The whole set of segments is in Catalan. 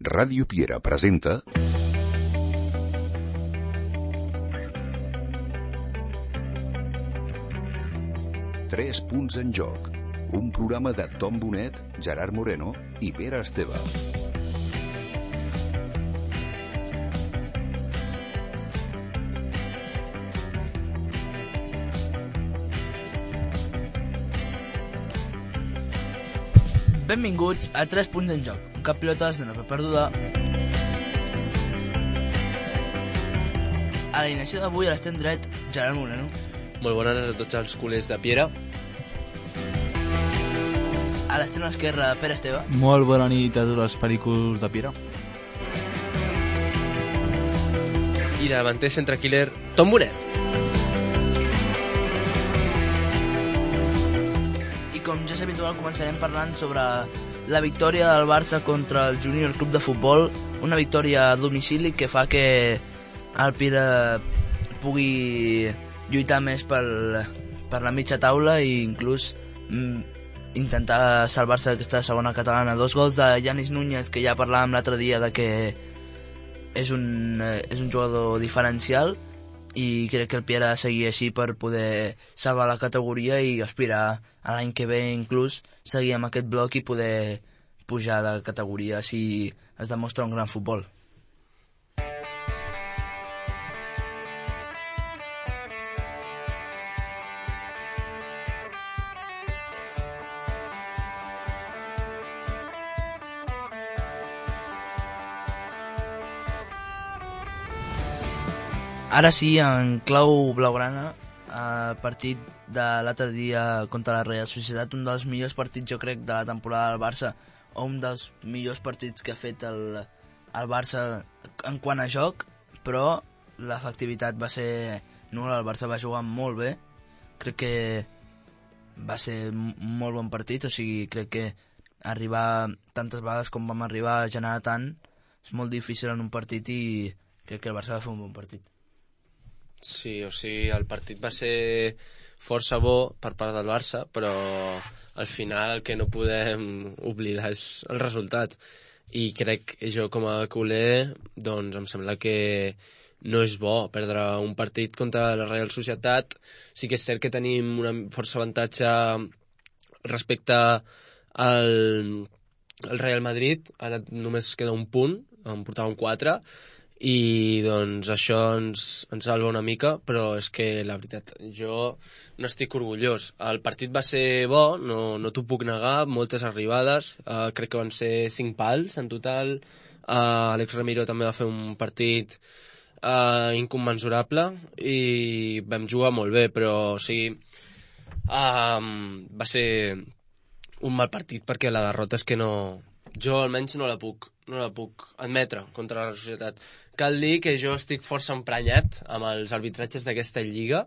Ràdio Piera presenta Tres punts en joc, un programa de Tom Bonet, Gerard Moreno i Pere Esteve. Benvinguts a 3 punts en joc, un cap pilotes d'una per perduda. A l'alineació d'avui a l'extrem dret, Gerard Moreno. Molt bones a tots els culers de Piera. A l'extrem esquerre, Pere Esteve. Molt bona nit a tots els pericos de Piera. I de davanter centre killer, Tom Bonet. I com ja és habitual, començarem parlant sobre la victòria del Barça contra el Júnior Club de Futbol, una victòria a domicili que fa que el Piera pugui lluitar més per la mitja taula i inclús intentar salvar-se d'aquesta segona catalana. 2 gols de Yanis Núñez, que ja parlàvem l'altre dia de que és un jugador diferencial, i crec que el Piera ha de seguir així per poder salvar la categoria i aspirar a l'any que ve inclús seguir amb aquest bloc i poder pujar de categoria si es demostra un gran futbol. Ara sí, en clau blaugrana, el partit de l'altre dia contra la Real Societat, un dels millors partits, jo crec, de la temporada del Barça, o un dels millors partits que ha fet el Barça en quant a joc, però l'efectivitat va ser nul·la. El Barça va jugar molt bé, crec que va ser un molt bon partit, o sigui, crec que arribar tantes vegades com vam arribar a generar tant és molt difícil en un partit i crec que el Barça va fer un bon partit. Sí, o sigui, el partit va ser força bo per part del Barça, però al final el que no podem oblidar és el resultat. I crec que jo com a culer, doncs em sembla que no és bo perdre un partit contra la Real Societat. Sí que és cert que tenim una força avantatge respecte al Real Madrid. Ara només queda un punt, en portàvem 4, i doncs això ens salva una mica, però és que la veritat, jo no estic orgullós. El partit va ser bo, no t'ho puc negar, moltes arribades, crec que van ser 5 pals en total. Àlex Ramiro també va fer un partit incommensurable i vam jugar molt bé, però o sigui, va ser un mal partit perquè la derrota és que jo almenys no la puc admetre contra la societat. Cal dir que jo estic força emprenyat amb els arbitratges d'aquesta lliga.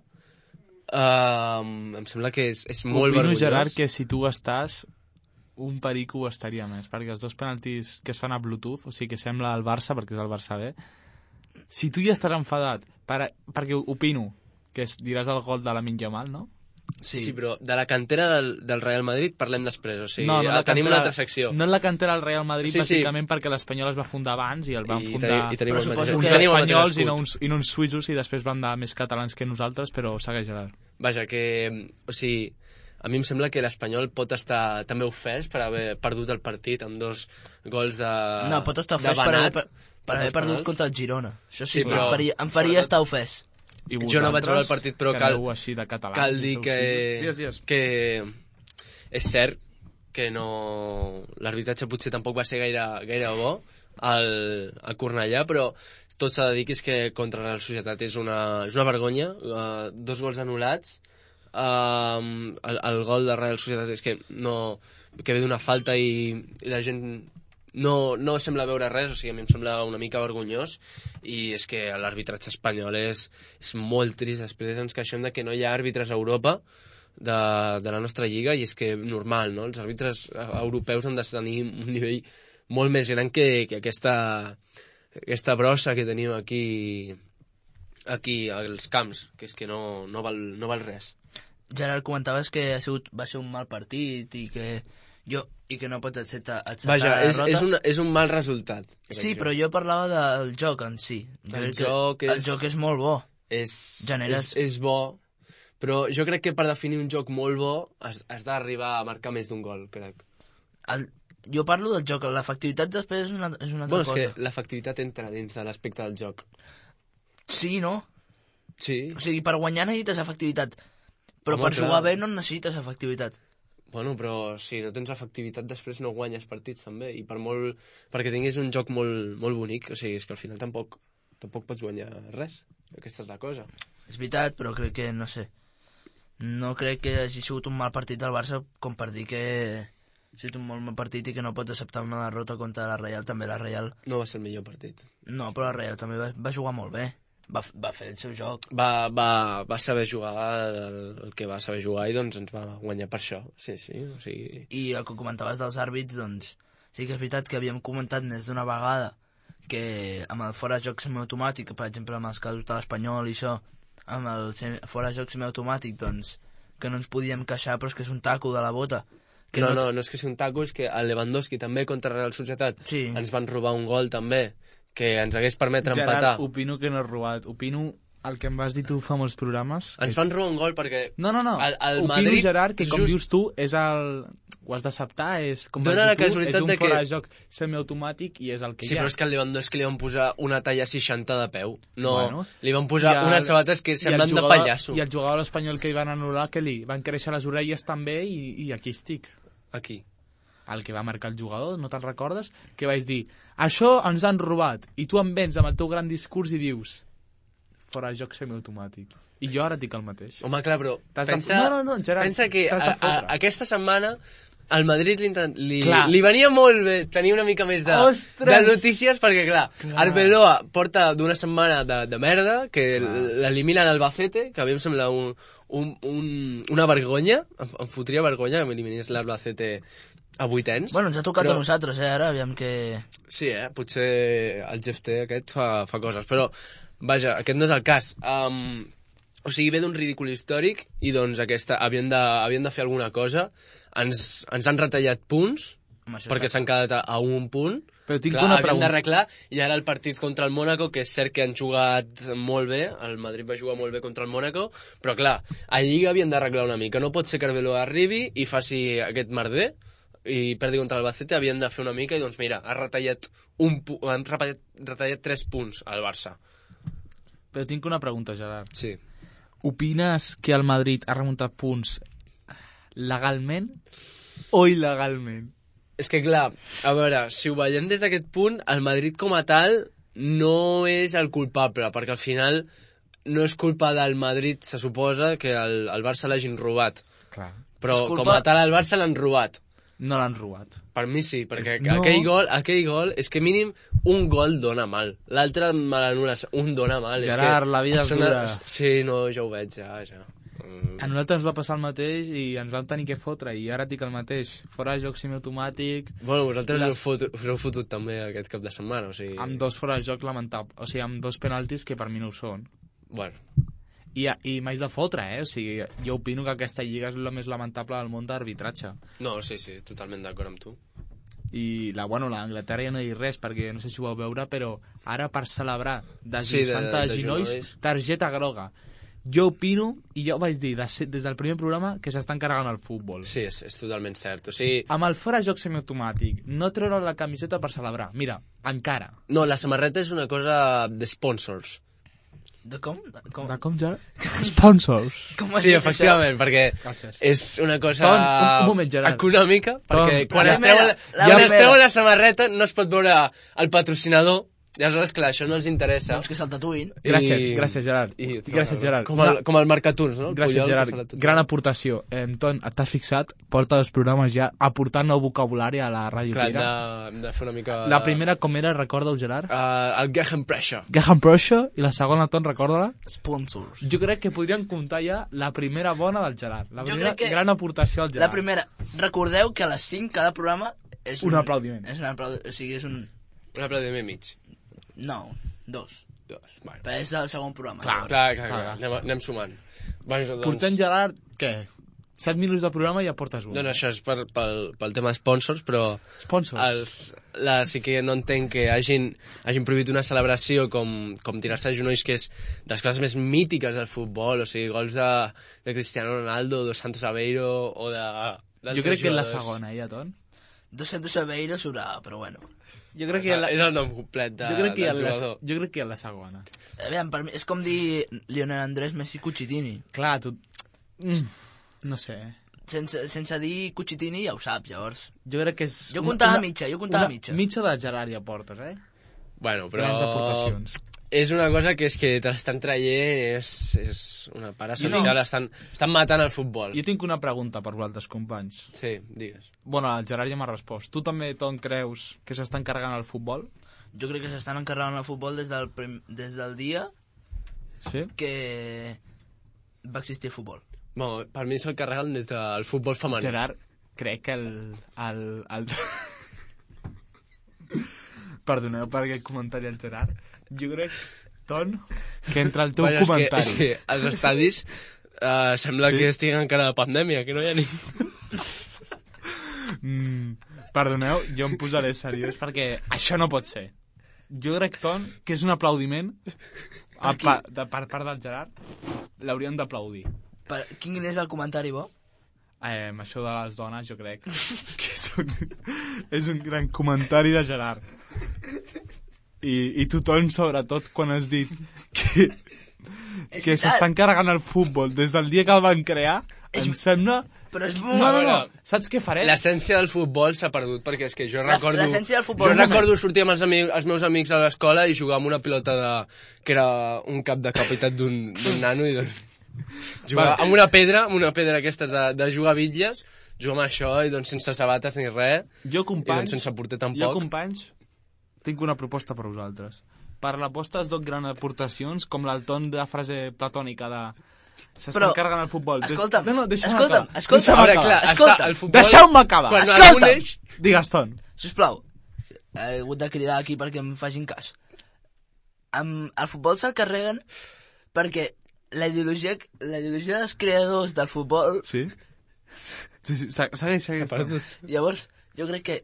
Em sembla que és molt vergonyós. Opino, Gerard, que si tu estàs, un perico ho estaria més, perquè els 2 penaltis que es fan a Bluetooth, o sigui que sembla el Barça, perquè és el Barça B, si tu ja estàs enfadat, perquè opino que diràs el gol de Lamine Yamal, no? Sí, però de la cantera del Real Madrid parlem després, o sigui, tenim una altra secció. No en la cantera del Real Madrid, bàsicament perquè l'Espanyol es va fundar abans i el van fundar uns espanyols i no uns suïssos, i després van dar més catalans que nosaltres, però segueix, Gerard. Vaja, que, o sigui, a mi em sembla que l'Espanyol pot estar també ofès per haver perdut el partit amb 2 gols de No, pot estar ofès per haver perdut contra el Girona. Això sí, però em faria estar ofès. Jo no vaig veure el partit, però cal dir que és cert que l'arbitratge potser tampoc va ser gaire bo al Cornellà, però tot s'ha de dir que és que contra la Societat és una vergonya. 2 gols anul·lats, el gol de Real Societat és que ve d'una falta i la gent no sembla veure res, o sigui, a mi em sembla una mica vergonyós, i és que l'arbitratge espanyol és molt trist. Després ens queixem de que no hi ha àrbitres a Europa de la nostra lliga, i és que normal, no? Els àrbitres europeus han de tenir un nivell molt més gran que aquesta brossa que tenim aquí als camps, que és que no val res. Gerard, comentaves que va ser un mal partit i que I que no pots acceptar Vaja, la derrota. és un mal resultat. Sí, però jo parlava del joc en si. El joc és molt bo. És bo, però jo crec que per definir un joc molt bo has d'arribar a marcar més d'un gol, crec. Jo parlo del joc, l'efectivitat després és una altra cosa. És que l'efectivitat entra dins de l'aspecte del joc. Sí, no? Sí. O sigui, per guanyar necessites efectivitat, però per jugar bé no necessites efectivitat. Bueno, però si no tens efectivitat després no guanyes partits també, i perquè tinguis un joc molt, molt bonic, o sigui, és que al final tampoc pots guanyar res. Aquesta és la cosa. És veritat, però crec que, no sé, no crec que hagi sigut un mal partit del Barça com per dir que ha sigut un molt mal partit i que no pots acceptar una derrota contra la Real. També la Real... No va ser el millor partit. No, però la Real també va jugar molt bé. Va fer el seu joc. Va saber jugar el que va saber jugar i doncs ens va guanyar per això. Sí, o sigui... I el que comentaves dels àrbits, doncs sí que és veritat que havíem comentat més d'una vegada que amb el fora de joc semiautomàtic, per exemple amb els casos de l'Espanyol i això, amb el fora de joc semiautomàtic, doncs que no ens podíem queixar, però és que és un taco de la bota. No és que sigui un taco, és que el Lewandowski també contra Real Societat ens van robar un gol també, que ens hagués permetre empatar. Gerard, opino que no és robat. Opino el que em vas dir tu fa molts programes. Ens van robar un gol perquè... No. Opino, Madrid, Gerard, que com dius tu, és el... Ho has d'acceptar, és com dona la casualitat és un de que... fora de joc semiautomàtic i és el que hi ha. Sí, però és que al Lewandowski li van posar una talla 60 de peu. No, li van posar unes sabates que semblen de pallasso. I el jugador espanyol que hi van anul·lar, que li van créixer les orelles també i aquí estic. Aquí. El que va marcar el jugador, no te'n recordes? Que vaig dir, això ens han robat, i tu em vens amb el teu gran discurs i dius, fora de joc semiautomàtic. I jo ara dic el mateix. Home, clar, però Gerard, pensa que aquesta setmana al Madrid li venia molt bé tenir una mica més de notícies, perquè, clar, Arbeloa porta d'una setmana de merda, que l'elimina l'Albacete, que a mi em sembla una vergonya, em fotria vergonya que m'eliminés l'Albacete a vuitens. Bueno, ens ha tocat a nosaltres, ara, aviam que... Sí, potser el GFT aquest fa coses, però, vaja, aquest no és el cas. O sigui, ve d'un ridícul històric i, doncs, havien de fer alguna cosa. Ens han retallat punts, perquè s'han quedat a un punt. Però tinc una pregunta. Havien d'arreglar, i ara el partit contra el Mónaco, que és cert que han jugat molt bé, el Madrid va jugar molt bé contra el Mónaco, però, clar, a Lliga havien d'arreglar una mica. No pot ser que Arbeloa arribi i faci aquest merder, i perdi contra l'Albacete, havien de fer una mica i doncs mira, han retallat 3 punts al Barça. Però tinc una pregunta, Gerard. Sí. Opines que el Madrid ha remuntat punts legalment o il·legalment? És que clar, a veure, si ho veiem des d'aquest punt, el Madrid com a tal no és el culpable, perquè al final no és culpa del Madrid, se suposa, que el Barça l'hagin robat. Clar. Però com a tal el Barça l'han robat. No l'han robat. Per mi sí, perquè aquell gol és que mínim un gol dona mal. L'altre me l'anul·les, un dona mal. Gerard, la vida és dura. Sí, no, ja ho veig, ja. A nosaltres ens va passar el mateix i ens vam tenir que fotre, i ara dic el mateix. Fora de joc semiautomàtic... Bueno, vosaltres us heu fotut també aquest cap de setmana, o sigui... Amb 2 fora de joc lamentables, o sigui, amb 2 penaltis que per mi no ho són. Bueno... I m'haig de fotre, o sigui, jo opino que aquesta lliga és la més lamentable del món d'arbitratge. No, sí, totalment d'acord amb tu. I l'Anglaterra ja no dic res, perquè no sé si ho vau veure, però ara per celebrar desguissant de ginolls, targeta groga. Jo opino, i jo vaig dir des del primer programa, que s'estan carregant el futbol. Sí, és totalment cert. O sigui... Amb el fora joc semiautomàtic, no treure la camiseta per celebrar. Mira, encara. No, la samarreta és una cosa de sponsors. De com, Gerard? Sponsors. Sí, efectivament, perquè és una cosa un moment, econòmica, perquè quan es treuen la samarreta no es pot veure el patrocinador, i aleshores, clar, això no els interessa. Doncs que se'l tatuïn. Gràcies, Gerard. Gràcies, Gerard. Com el Marcaturs, no? Gràcies, Gerard. Gran aportació. Ton, t'has fixat? Porta 2 programes ja aportant nou vocabulari a la Ràdio Pira. Clar, hem de fer una mica... La primera com era, recorda-ho, Gerard? El Gegenpressure. Gegenpressure, i la segona, Ton, recorda-la? Sponsors. Jo crec que podríem comptar ja la primera bona del Gerard. La primera gran aportació al Gerard. La primera. Recordeu que a les 5 cada programa és un aplaudiment. O sigui, és un... Un aplaudiment mig. No, 2. Vale. Però és el segon programa. Clar. Anem sumant. Portem, Gerard, què? 7 minuts de programa i ja portes un. Doncs això és pel tema sponsors, però... Sponsors? Sí que no entenc que hagin prohibit una celebració com tirar-se a genolls, que és de les coses més mítiques del futbol, o sigui, gols de Cristiano Ronaldo, de Santos Aveiro, o de... Jo crec que és la segona, ja, Ton? Dos Santos Aveiro sobrava, però bueno. Jo crec que és el nom complet del jugador. Jo crec que és la segona. Aviam, per mi és com dir Lionel Andrés Messi Cucitini. Clar, tu... No sé. Sense dir Cucitini ja ho saps, llavors. Jo crec que és... Jo comptava mitja. Mitja de Gerard ja portes, eh? Bueno, però... És una cosa que és que te l'estan traient, és una part essencial, estan matant el futbol. Jo tinc una pregunta per vosaltres, companys. Sí, digues. Bueno, el Gerard ja m'ha respost. Tu també, Ton, creus que s'estan carregant el futbol? Jo crec que s'estan encarregant el futbol des del dia que va existir el futbol. Bueno, per mi se'l carreguen des del futbol femení. Gerard, crec que el... Perdoneu per aquest comentari al Gerard. Jo crec, Ton, que entre el teu comentari... És que als estadis sembla que estiguen encara de pandèmia, que no hi ha ningú. Perdoneu, jo em posaré seriós perquè això no pot ser. Jo crec, Ton, que és un aplaudiment per part del Gerard. L'hauríem d'aplaudir. Quin és el comentari bo? Això de les dones, jo crec que és un gran comentari de Gerard. I tu, Ton, sobretot, quan has dit que s'estan carregant el futbol des del dia que el van crear, em sembla... Però és no. Saps què faré? L'essència del futbol s'ha perdut, perquè és que jo recordo... L'essència del futbol... Jo recordo sortir amb els meus amics a l'escola i jugar amb una pilota que era un cap de capitat d'un nano i jugar amb una pedra aquestes de jugar a bitlles, jugar amb això i doncs sense sabates ni res, i doncs sense porter tampoc. Jo, companys, tinc una proposta per vosaltres. Per l'aposta es donen grans aportacions, com l'Alton de la frase platònica de... S'estan carregant el futbol. Escolta'm, Deixeu-me acabar. Digues, Ton. Sisplau, he hagut de cridar aquí perquè em facin cas. El futbol se'l carreguen perquè la ideologia dels creadors del futbol... Sí, segueix. Llavors, jo crec que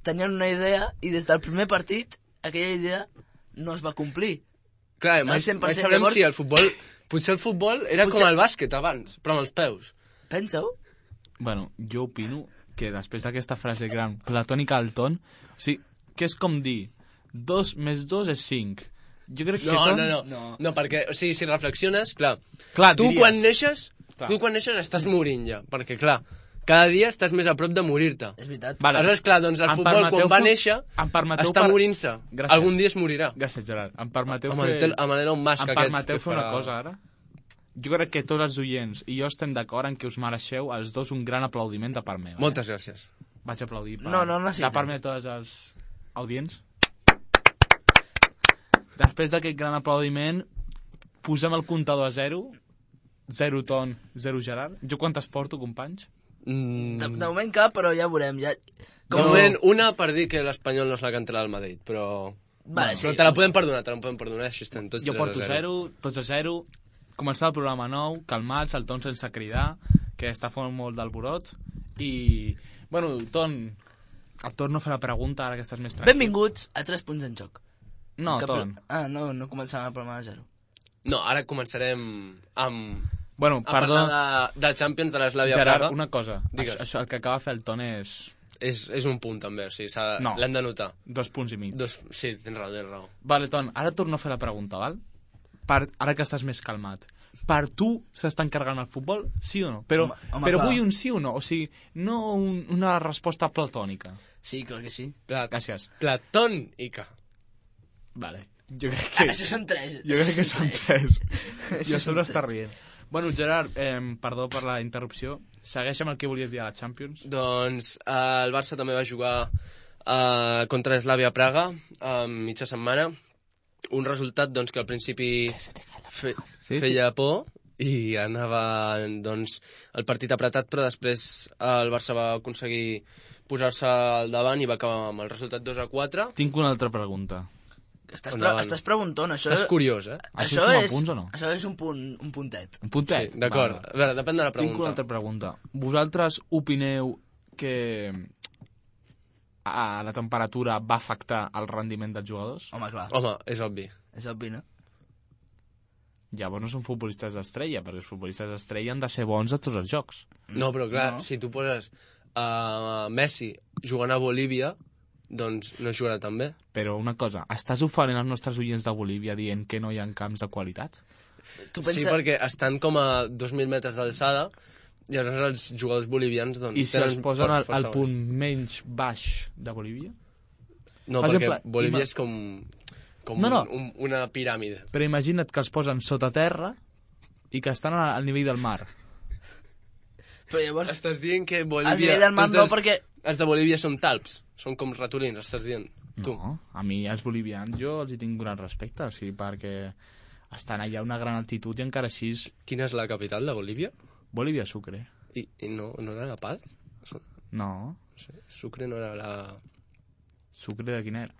tenien una idea i des del primer partit aquella idea no es va complir. Clar, mai sabrem si el futbol... Potser el futbol era com el bàsquet abans, però amb els peus. Pensa-ho? Bueno, jo opino que després d'aquesta frase gran, platònica al Ton, o sigui, que és com dir 2 més 2 és 5. Jo crec que No, perquè, o sigui, si reflexiones, clar tu quan neixes estàs morint ja, perquè, clar, cada dia estàs més a prop de morir-te. És veritat. Aleshores, clar, doncs el futbol, quan va néixer, està morint-se. Algun dia es morirà. Gràcies, Gerard. Em permeteu fer una cosa, ara? Jo crec que tots els oients i jo estem d'acord en que us mereixeu els dos un gran aplaudiment de part meva. Moltes gràcies. Vaig aplaudir no necessito. De part meva tots els audients. Després d'aquest gran aplaudiment, posem el comptador a 0. 0 Ton, 0 Gerard. Jo quantes porto, companys? De moment cap, però ja veurem. De moment una per dir que l'Espanyol no és la cantera del Madrid, però... Vale, sí. Però te la podem perdonar, així estem tots 3-0. Jo porto 0, tots a 0. Començar el programa nou, calmats, el Ton sense cridar, que està fent molt d'alborot. I, bueno, Ton, el torno a fer la pregunta, ara que estàs més tranquil. Benvinguts a 3 punts en joc. No, Ton. No començàvem el programa de 0. No, ara començarem amb... Bueno, perdó. A parlar de Champions de l'Slavia Praga. Gerard, una cosa. Això, el que acaba de fer el Ton és... És un punt, també. O sigui, l'hem de notar. 2 punts i mig. Sí, tens raó. Vale, Ton, ara torno a fer la pregunta, val? Ara que estàs més calmat. Per tu s'estan carregant el futbol, sí o no? Però vull un sí o no. O sigui, no una resposta platònica. Sí, clar que sí. Gràcies. Platònica. Vale. Jo crec que... Això són 3. Jo crec que són 3. I a sobre està rient. Bueno, Gerard, perdó per la interrupció. Segueix amb el que volies dir a la Champions. Doncs el Barça també va jugar contra Slavia Praga a mitja setmana. Un resultat doncs, que al principi feia por i anava doncs, el partit apretat, però després el Barça va aconseguir posar-se al davant i va acabar amb el resultat 2-4. Tinc una altra pregunta. Estàs preguntant, això... Estàs curiós, eh? Això és punts o no? Això és un puntet. Un puntet? Sí, d'acord. A veure, depèn de la pregunta. Tinc una altra pregunta. Vosaltres opineu que la temperatura va afectar el rendiment dels jugadors? Home, clar. Home, és obvi. És obvi, no? Llavors no són futbolistes d'estrella, perquè els futbolistes d'estrella han de ser bons a tots els jocs. No, però clar, si tu poses Messi jugant a Bolívia, doncs no jugarà tan bé. Però una cosa, estàs ofenent els nostres oients de Bolívia dient que no hi ha camps de qualitat? Sí, perquè estan com a 2.000 metres d'alçada, i aleshores els jugadors bolivians doncs, i si els posen al punt menys baix de Bolívia? No, perquè Bolívia és com una piràmide. Però imagina't que els posen sota terra i que estan al nivell del mar. Però llavors... Estàs dient que Bolívia... Al nivell del mar no, perquè... Els de Bolívia són talps, són com ratolins, estàs dient tu. No, a mi els bolivians jo els hi tinc gran respecte, o sigui, perquè estan allà a una gran altitud i encara així... Quina és la capital de Bolívia? Bolívia, Sucre. I no era La Paz? No. Sucre no era la... Sucre de quina era?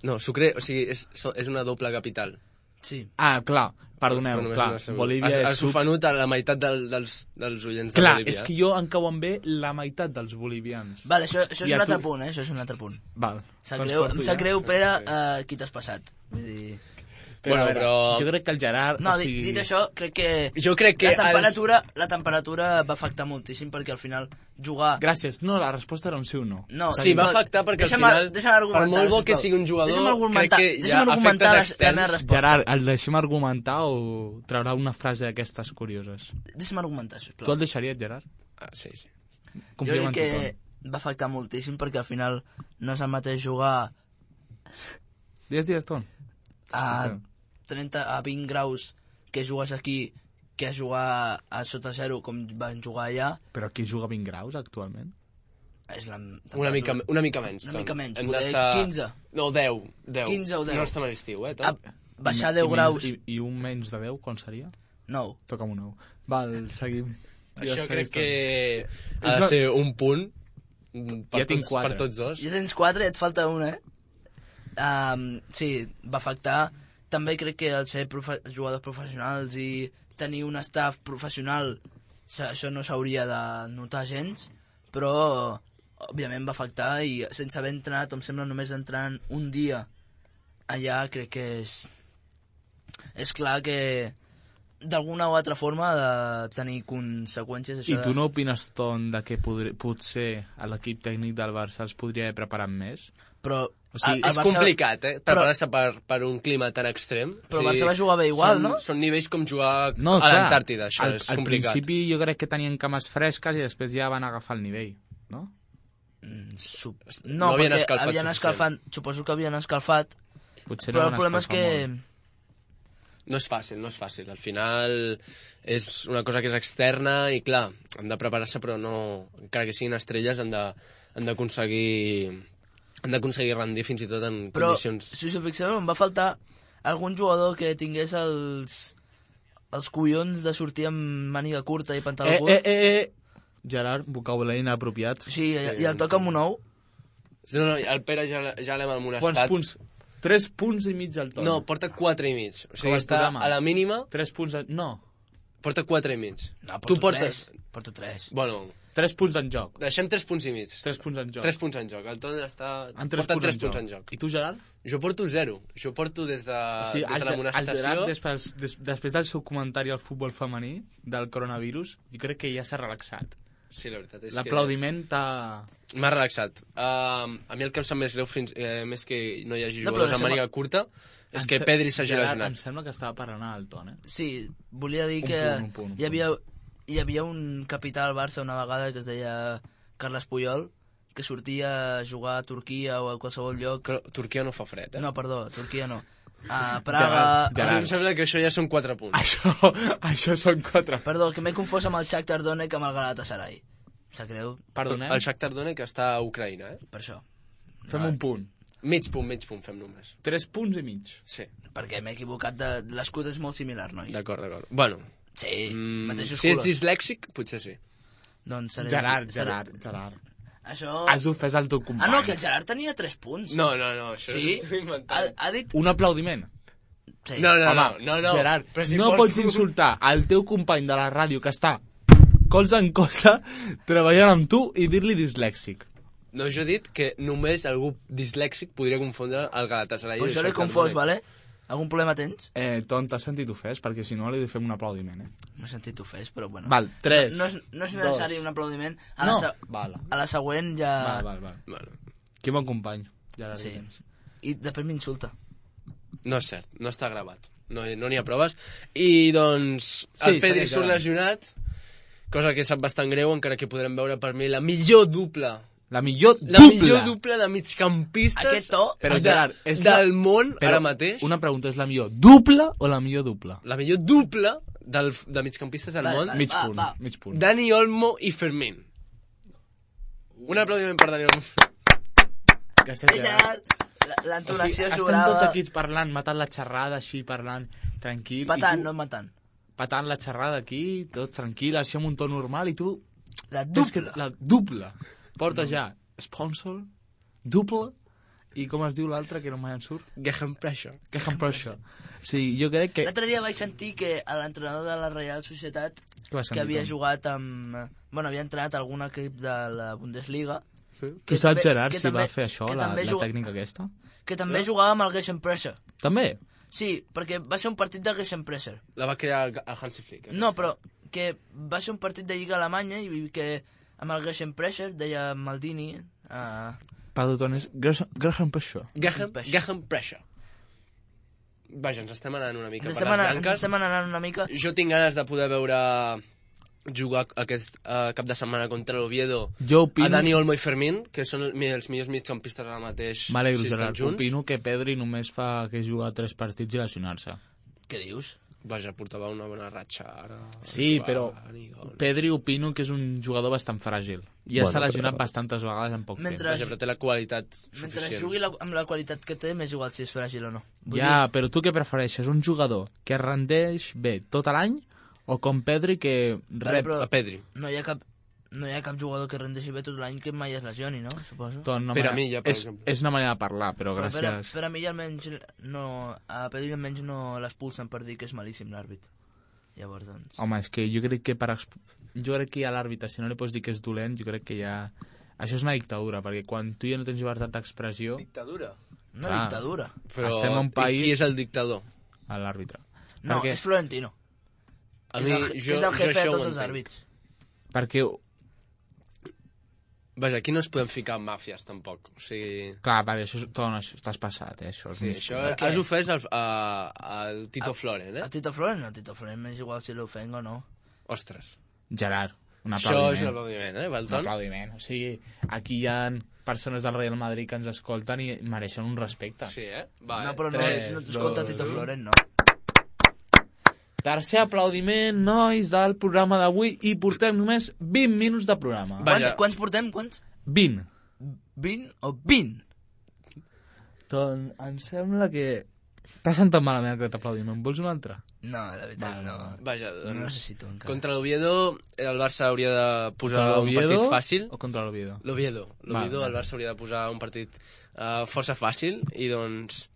No, Sucre, o sigui, és una doble capital. Sí. Ah, clar, perdoneu, clar, Bolívia és... Has ofenut a la meitat dels oients de clar, Bolívia. És que jo em cauen bé la meitat dels bolivians. Vale, això és un altre punt, Això és un altre punt. Val. Em sap greu, Pere, qui t'has passat. Vull dir... Però jo crec que el Gerard... No, dit això, crec que la temperatura va afectar moltíssim, perquè al final jugar... Gràcies. No, la resposta era un sí o no. Sí, va afectar perquè al final, per molt bo que sigui un jugador, crec que ja afecta els externs. Gerard, el deixem argumentar o traurà una frase d'aquestes curioses? Deixa'm argumentar, sisplau. Tu el deixaries, Gerard? Sí. Jo crec que va afectar moltíssim, perquè al final no és el mateix jugar... Digues, Ton. A 20 graus que jugues aquí que jugar a sota zero com van jugar allà. Però aquí juga 20 graus actualment? És una mica menys. Una mica menys, poder 15. No, 10. 15 o 10. No estem a l'estiu, Baixar 10 graus. I un menys de 10, quan seria? 9. Toca'm un 9. Val, seguim. Això crec que ha de ser un punt per tots dos. Ja tens 4 i et falta un, Sí, va afectar. També crec que al ser jugadors professionals i tenir un staff professional, això no s'hauria de notar gens, però òbviament va afectar, i sense haver entrenat, em sembla, només entrant un dia allà, crec que és clar que d'alguna o altra forma ha de tenir conseqüències. I tu no opines, Ton, que potser l'equip tècnic del Barça els podria haver preparat més? Però és complicat, preparar-se per un clima tan extrem. Però el Barça va jugar bé igual, no? Són nivells com jugar a l'Antàrtida, això és complicat. Al principi jo crec que tenien cames fresques i després ja van agafar el nivell, no? No, perquè havien escalfat, suposo que havien escalfat, però el problema és que... No és fàcil. Al final és una cosa que és externa i, clar, han de preparar-se, però no... Encara que siguin estrelles, han d'aconseguir rendir fins i tot en condicions... Però, si us fixeu, em va faltar algun jugador que tingués els collons de sortir amb màniga curta i pantaló curt. Gerard, vocabulari inapropiat. Sí, i el toca amb un ou. No, el Pere ja l'hem amonestat. Quants punts? 3 punts i mig al Ton. No, porta 4 i mig. O sigui, està a la mínima... 3 punts... No. Porta 4 i mig. No, porto 3. Bueno... 3 punts en joc. Deixem 3 punts i mig. 3 punts en joc. 3 punts en joc. El Ton porta 3 punts en joc. I tu, Gerard? Jo porto 0. Jo porto des de l'amonestació... El Gerard, després del seu comentari al futbol femení, del coronavirus, jo crec que ja s'ha relaxat. Sí, la veritat és que... L'aplaudiment m'ha relaxat. A mi el que em sap més greu, més que no hi hagi jugadors amb màniga curta, és que Pedri s'hagi lesionat. Em sembla que estava parlant al Ton, Sí, volia dir que hi havia un capità al Barça una vegada que es deia Carles Puyol, que sortia a jugar a Turquia o a qualsevol lloc. Però Turquia no fa fred, No, perdó, Turquia no. A Praga... A mi em sembla que això ja són 4 punts. Això són 4. Perdó, que m'he confós amb el Shakhtar Donetsk amb el Galatasaray. Sap greu? Perdoneu? El Shakhtar Donetsk està a Ucraïna, Per això. Fem un punt. Mig punt fem només. 3 punts i mig. Sí. Perquè m'he equivocat, l'escut és molt similar, nois. D'acord. Bueno. Sí, mateixos si colors. ets dislèxic, potser sí. Doncs seré... Gerard. Això... Has ofès el teu company. Ah, no, que el Gerard tenia 3 punts. No, això sí? és inventat. Ha dit... Un aplaudiment. Sí. No. Gerard, si no pots insultar el teu company de la ràdio que està colze en colze treballant amb tu i dir-li dislèxic. No, jo he dit que només algú dislèxic podria confondre el Galatasaray. Pues jo l'he confós, vale? Algun problema tens? Ton, t'has sentit ofès? Perquè si no li fem un aplaudiment, M'he sentit ofès, però bueno. Val, 3. No és necessari un aplaudiment. A la següent ja... Val. Que bon company. Ja sí. I després m'insulta. No és cert, no està gravat. No n'hi ha proves. I doncs el Pedri surt lesionat, cosa que sap bastant greu, encara que podrem veure per mi la millor dupla. La millor dupla de migcampistes aquest to, però, Gerard, del món ara mateix. Una pregunta, és la millor dupla o la millor dupla? La millor dupla de migcampistes del món. Mig punt. Dani Olmo i Fermín. Un aplaudiment per Dani Olmo. L'entonació jugava... Estem tots aquí parlant, matant la xerrada així, parlant tranquil. No matant. Patant la xerrada aquí, tots tranquil, així amb un to normal, i tu... La dupla. Porta ja sponsor, dupla, i com es diu l'altre, que no mai em surt? Gegenpressure. Sí, jo crec que... L'altre dia vaig sentir que l'entrenador de la Real Societat, que havia jugat amb... Bueno, havia entrenat algun equip de la Bundesliga... Tu saps, Gerard, si va fer això, la tècnica aquesta? Que també jugava amb el Gegenpressure. També? Sí, perquè va ser un partit de Gegenpressure. La va crear el Hansi Flick. No, però que va ser un partit de Lliga Alemanya i que amb el Gegenpressure, deia Maldini... Perdó, és Gegenpressure. Gegenpressure. Vaja, ens estem anant una mica per les branques. Ens estem anant una mica. Jo tinc ganes de poder veure jugar aquest cap de setmana contra l'Oviedo a Dani Olmo i Fermín, que són els millors migcampistes ara mateix. M'alegro, Gerard. Opino que Pedri només fa que jugar 3 partits i lesionar-se. Què dius? Vaja, portava una bona ratxa ara. Sí, però Pedri opino que és un jugador bastant fràgil. Ja s'ha lesionat bastantes vegades en poc temps. Vaja, però té la qualitat suficient. Mentre jugui amb la qualitat que té, m'és igual si és fràgil o no. Però tu què prefereixes? Un jugador que rendeix bé tot l'any o com Pedri que rep... A Pedri. No hi ha cap jugador que rendeixi bé tot l'any que mai es lesioni, no? Suposo. Per a mi, ja, per exemple. És una manera de parlar, però gràcies... Per a mi almenys a Pedri almenys no l'expulsen per dir que és malíssim l'àrbit. Llavors, doncs... Home, és que jo crec que jo crec que a l'àrbitre, si no li pots dir que és dolent, jo crec que ja... Això és una dictadura, perquè quan tu ja no tens llibertat d'expressió... Dictadura? Una dictadura. Però estem en un país... Qui és el dictador? L'àrbitre. No, és Florentino. És el jefe de tots els àrbits. Perquè... Vaja, aquí no ens podem ficar en màfies, tampoc. O sigui... Clar, vale, això estàs passat, això. Sí, això has ofès al Tito Floren, A Tito Floren? A Tito Floren m'és igual si l'ofenc o no. Ostres. Gerard, un aplaudiment. Això és un aplaudiment, Valton? Un aplaudiment. O sigui, aquí hi ha persones del Real Madrid que ens escolten i mereixen un respecte. Sí, Va, no, però no t'escolta Tito Floren, no. Tercer aplaudiment, nois, del programa d'avui, i portem només 20 minuts de programa. Quants portem? Quants? 20. 20 o 20? Doncs em sembla que... T'has sentat malament aquest aplaudiment. Vols un altre? No, la veritat, no. Vaja, no necessito encara. Contra l'Oviedo, el Barça hauria de posar un partit fàcil. O contra l'Oviedo? L'Oviedo, el Barça hauria de posar un partit força fàcil, i doncs...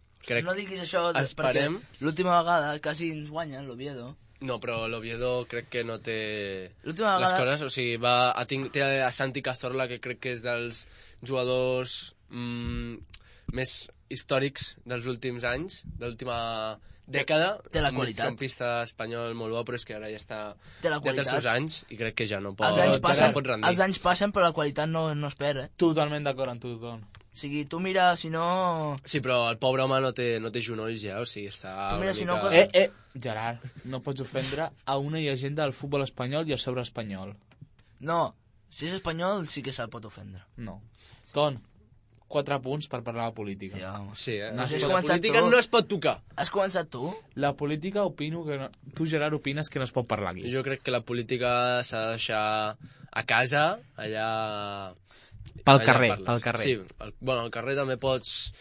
No diguis això, perquè l'última vegada quasi ens guanya l'Oviedo. No, però l'Oviedo crec que no té les coses, o sigui, té a Santi Cazorla, que crec que és dels jugadors més històrics dels últims anys, de l'última dècada. Té la qualitat. Un campista espanyol molt bo, però és que ara ja està... Té la qualitat. Ja té els seus anys, i crec que ja no pot rendir. Els anys passen, però la qualitat no es perd, Totalment d'acord amb tu, Don. O sigui, tu mira, si no... Sí, però el pobre home no té genolls ja, o sigui, està... Tu mira, si no... Gerard, no pots ofendre a una llegenda del futbol espanyol i a sobre espanyol. No, si és espanyol sí que se'l pot ofendre. No. Ton, 4 punts per parlar de política. Sí, No, la política no es pot tocar. Has començat tu? La política opino que... Tu, Gerard, opines que no es pot parlar aquí. Jo crec que la política s'ha de deixar a casa, allà... Pel carrer. Sí, al carrer també pots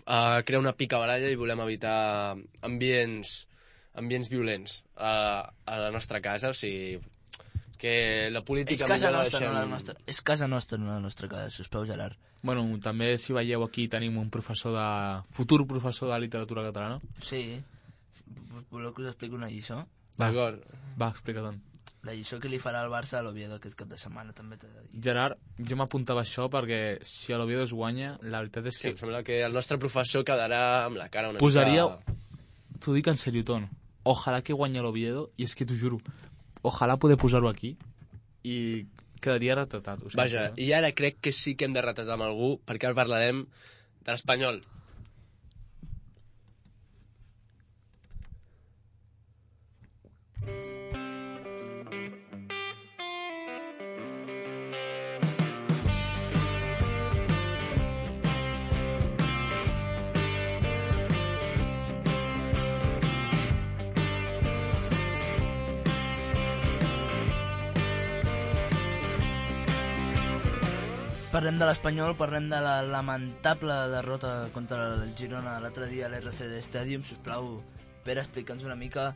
crear una picabaralla i volem evitar ambients violents a la nostra casa, o sigui, que la política... És casa nostra, no la nostra. És casa nostra, no la nostra casa, sisplau, Gerard. Bueno, també, si veieu aquí, tenim un futur professor de literatura catalana. Sí. Voleu que us expliqui una lliçó? D'acord. Va, explica-te'n. La lliçó que li farà el Barça a l'Oviedo aquest cap de setmana, també t'he de dir. Gerard, jo m'apuntava això perquè si a l'Oviedo es guanya, la veritat és que... Sí, em sembla que el nostre professor quedarà amb la cara una posaria... mica... T'ho dic en seriotón. Ojalà que guanya l'Oviedo, i és que t'ho juro, ojalà poder posar-ho aquí i quedaria retratat. Vaja, i ara crec que sí que hem de retratar amb algú, perquè ara parlarem de l'Espanyol. Parlem de l'Espanyol, parlem de la lamentable derrota contra el Girona l'altre dia a l'RCD Stadium. Sisplau, Pere, explica'ns una mica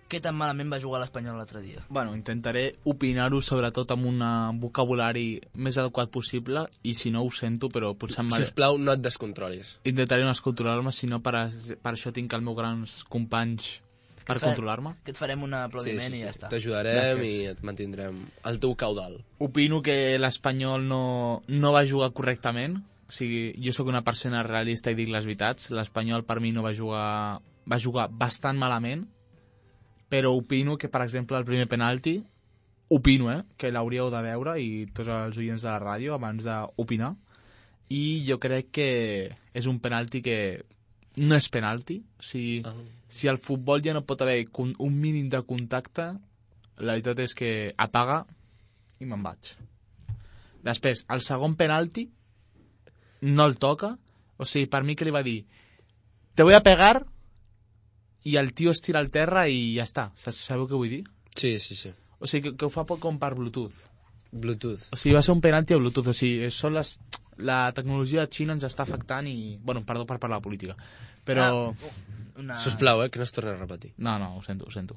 què tan malament va jugar l'Espanyol l'altre dia. Bueno, intentaré opinar-ho sobretot amb un vocabulari més adequat possible i si no ho sento, però potser... Sisplau, no et descontrolis. Intentaré no descontrolar-me, si no per això tinc els meus grans companys per controlar-me. Que et farem un aplaudiment i ja està. T'ajudarem i et mantindrem al teu caudal. Opino que l'Espanyol no va jugar correctament. O sigui, jo sóc una persona realista i dic les veritats. L'Espanyol per mi no va jugar bastant malament, però opino que, per exemple, el primer penalti, que l'hauríeu de veure, i tots els oients de la ràdio, abans d'opinar, i jo crec que és un penalti que no és penalti. O sigui, si al futbol ja no pot haver un mínim de contacte, la veritat és que apaga i me'n vaig. Després, el segon penalti no el toca. O sigui, per mi que li va dir te voy a pegar, i el tio es tira al terra i ja està. Sabeu què vull dir? Sí, sí, sí. O sigui, que ho fa com per Bluetooth. Bluetooth. O sigui, va ser un penalti a Bluetooth. O sigui, la tecnologia de Xina ens està afectant i... Bueno, perdó per parlar de política. Però... Sisplau, que no es torni a repetir. No, ho sento.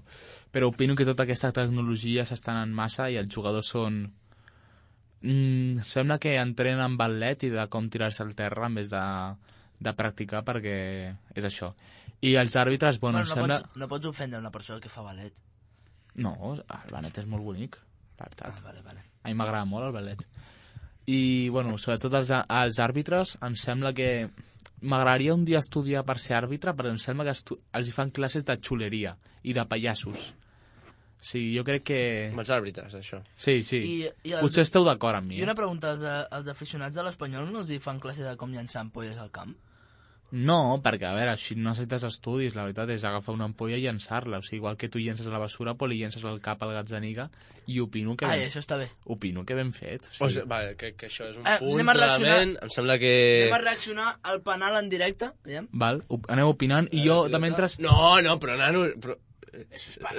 Però opino que tota aquesta tecnologia s'està anant massa i els jugadors són... sembla que entrenen amb ballet i de com tirar-se al terra en vez de practicar, perquè és això. I els àrbitres, bueno, sembla... No pots ofendre una persona que fa ballet. No, el ballet és molt bonic, la veritat. Vale. A mi m'agrada molt el ballet. I, bueno, sobretot els àrbitres, em sembla que... M'agradaria un dia estudiar per ser àrbitre, però em sembla que els fan classes de xuleria i de pallassos. Sí, jo crec que... Amb els àrbitres, això. Sí. Potser esteu d'acord amb mi. I una pregunta, els aficionats de l'Espanyol no els hi fan classe de com llançar ampolles al camp? No, perquè, a veure, així no necessites estudis, la veritat és agafar una ampolla i llançar-la. O sigui, igual que tu llences a la basura, però li llences al cap al Gazzaniga, i opino que... això està bé. Opino que ben fet. O sigui, que això és un punt, clarament. Em sembla que... Anem a reaccionar al penal en directe, veiem? Val, aneu opinant, i jo de mentre... No, però nano...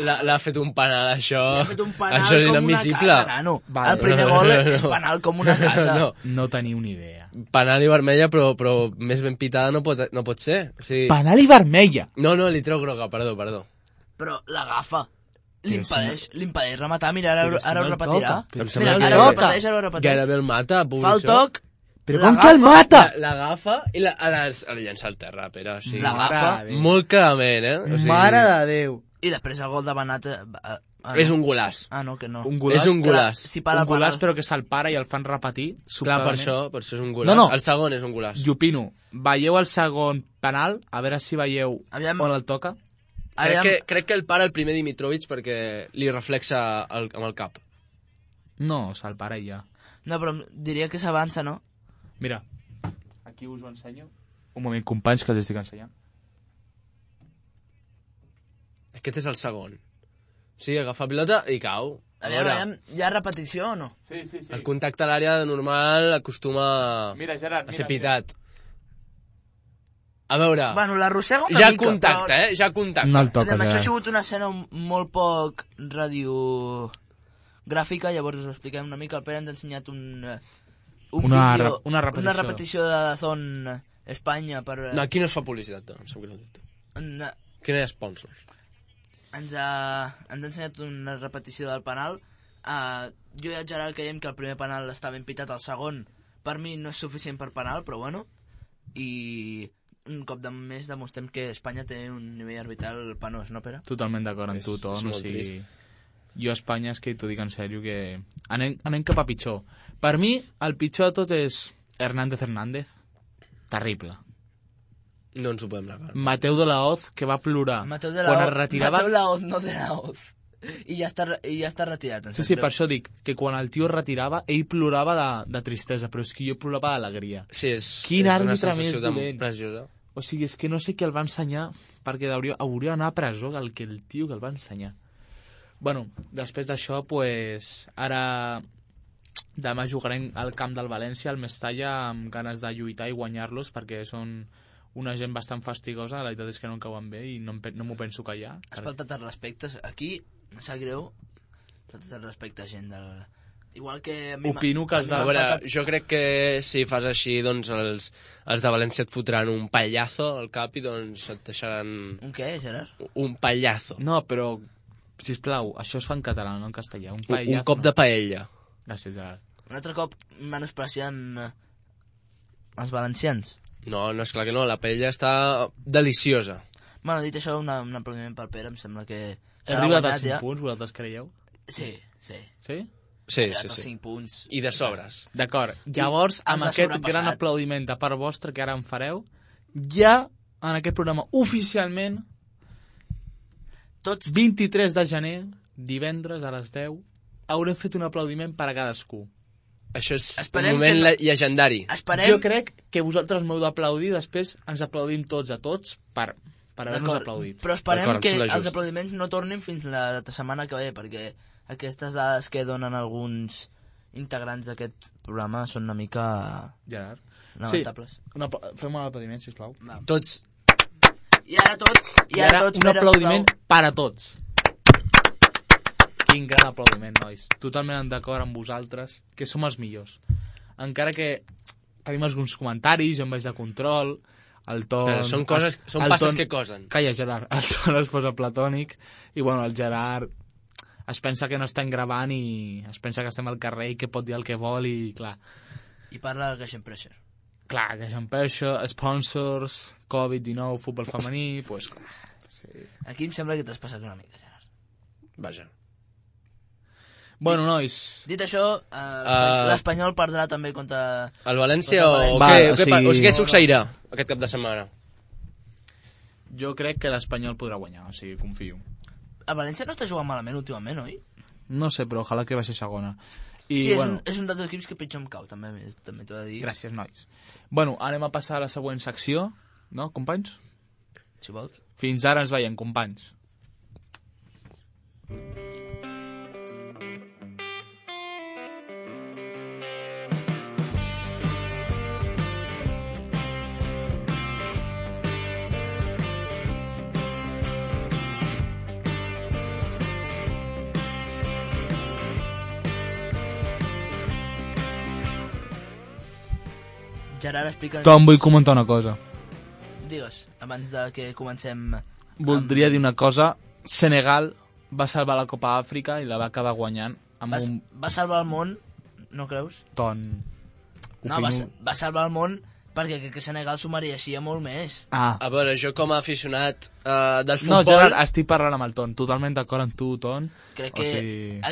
L'ha fet un penal, això. L'ha fet un penal això és com inadmissible. Una casa, nano. Vale. El primer gol és penal com una casa. No teniu ni idea. Penal i vermella, però més ben pitada no pot ser. O sigui... Penal i vermella? No, li treu groga, perdó. Però l'agafa. L'impedeix rematar, mira, ara ho repetirà. Mira, ara ho repeteix. Gairebé el mata, fa el toc. Però com que el mata? L'agafa i la llença al terra, Pere. O sigui, l'agafa. Molt clarament, O sigui... Mare de Déu. I després el gol de Benat... És un golàs. Ah, no, que no. És un golàs. Un golàs, però que se'l para i el fan repetir. Clar, per això és un golàs. No. El segon és un golàs. I opino, veieu el segon penal, a veure si veieu on el toca. Crec que el para el primer Dimitrovic perquè li reflexa amb el cap. No, se'l para i ja. No, però diria que s'avança, no? Mira, aquí us ho ensenyo. Un moment, companys, que els estic ensenyant. Aquest és el segon. Sí, agafa pilota i cau. Aviam, hi ha repetició o no? Sí. El contacte a l'àrea normal acostuma a ser pitat. A veure... Bueno, l'arrossega una mica. Ja contacte. No el toca, això ha sigut una escena molt poc radiogràfica, llavors us expliquem una mica. El Pere ens ha ensenyat una repetició de Dazón Espanya per... No, aquí no es fa publicitat, no. Quina hi ha sponsors? ens ha ensenyat una repetició del penal. Jo i el Gerard creiem que el primer penal està ben pitat, el segon per mi no és suficient per penal, però bueno, i un cop de més demostrem que Espanya té un nivell arbitral penós, no, Pere? Totalment d'acord amb tu, Ton. És molt trist. Jo a Espanya, és que t'ho dic en sèrio, que anem cap a pitjor. Per mi, el pitjor de tot és Hernández. Terrible. No ens ho podem negar. Mateu de la Hoz, que va plorar. Mateu de quan es retirava... Mateu de la Hoz, no de la Hoz. I ja està retirat. Sí, per això dic que quan el tio es retirava, ell plorava de tristesa, però és que jo plorava d'alegria. Sí, és una àrbitre sensació més preciosa. O sigui, és que no sé què el va ensenyar, perquè hauria d'anar a presó el tio que el va ensenyar. Bueno, després d'això, pues, ara demà jugarem al camp del València, al Mestalla, amb ganes de lluitar i guanyar-los, perquè són una gent bastant fastigosa, la veritat és que no em cauen bé i no m'ho penso callar. Has faltat el respecte. Aquí, em sap greu, faltat el respecte a gent del... Igual que... Opino que els de... Jo crec que si fas així, doncs els de València et fotran un pallazo al cap i doncs et deixaran... Un què, Gerard? Un pallazo. No, però, sisplau, això es fa en català, no en castellà. Un cop de paella. Gràcies, Gerard. Un altre cop menospreciant els valencians. No, esclar que no, la paella està deliciosa. Bueno, dit això, un aplaudiment pel Pere, em sembla que... He arribat als 5 punts, vosaltres creieu? Sí. Sí? Sí. 5 punts. I de sobres. D'acord. Llavors, amb aquest gran aplaudiment de part vostra que ara em fareu, ja en aquest programa oficialment, tots 23 de gener, divendres a les 10, haurem fet un aplaudiment per a cadascú. Això és un moment llegendari. Jo crec que vosaltres m'heu d'aplaudir, després ens aplaudim tots a tots per haver-nos aplaudit. Però esperem que els aplaudiments no tornin fins la setmana que ve, perquè aquestes dades que donen alguns integrants d'aquest programa són una mica... Gerard. Lamentables. Sí, fem un aplaudiment, sisplau. Va. Tots. I ara tots. Un aplaudiment per a tots. Quin gran aplaudiment, nois. Totalment d'acord amb vosaltres, que som els millors. Encara que tenim alguns comentaris, jo em vaig de control, el Ton... Però són passes que cosen. Calla, Gerard. El Ton es posa platònic i, bueno, el Gerard es pensa que no estem gravant i es pensa que estem al carrer i que pot dir el que vol i, clar... I parla del Gation Pressure. Clar, Gation Pressure, sponsors, Covid-19, futbol femení, pues clar... Sí. Aquí em sembla que t'has passat una mica, Gerard. Vaja. Bueno, nois... Dit això, l'Espanyol perdrà també contra... El València o què succeirà aquest cap de setmana? Jo crec que l'Espanyol podrà guanyar, o sigui, confio. El València no està jugant malament últimament, oi? No sé, però ojalà que va ser segona. I, sí, bueno, és un dels equips que pitjor em cau, també t'ho he de dir. Gràcies, nois. Bueno, anem a passar a la següent secció, no, companys? Si vols. Fins ara ens veiem, companys. Gerard, explica'ns... Tom, vull comentar una cosa. Digues, abans de que comencem... Voldria dir una cosa. Senegal va salvar la Copa Àfrica i la va acabar guanyant amb Va salvar el món, no creus? Ton... No, va salvar el món perquè crec que Senegal s'ho mereixia molt més. A veure, jo com a aficionat del futbol... No, Gerard, estic parlant amb el Ton. Totalment d'acord amb tu, Ton. Crec que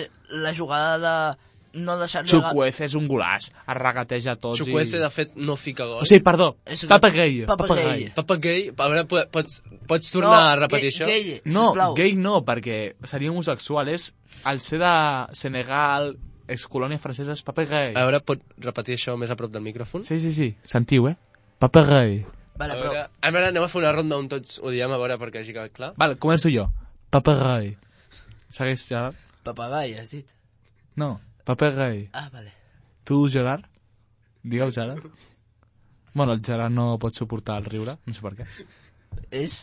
la jugada de... no deixar-li... Chukwueze és un golaç, es regateja tots. Chukwueze, de fet, no fica gol. O sigui, perdó, Papagay. Papagay, a veure, pots tornar a repetir això? No, gay no, perquè seria homosexual, és el ser de Senegal, excolònia francesa, és Papagay. A veure, pot repetir això més a prop del micròfon? Sí, sentiu, Papagay. Vale, però... A veure, anem a fer una ronda on tots ho diem, a veure, perquè hagi quedat clar. Vale, començo jo. Papagay. Segueix, Gerard? Papagay, has dit? No. Papagay. Ah, vale. Tu, Gerard? Digueu, Gerard. Bueno, el Gerard no pot suportar el riure, no sé per què. És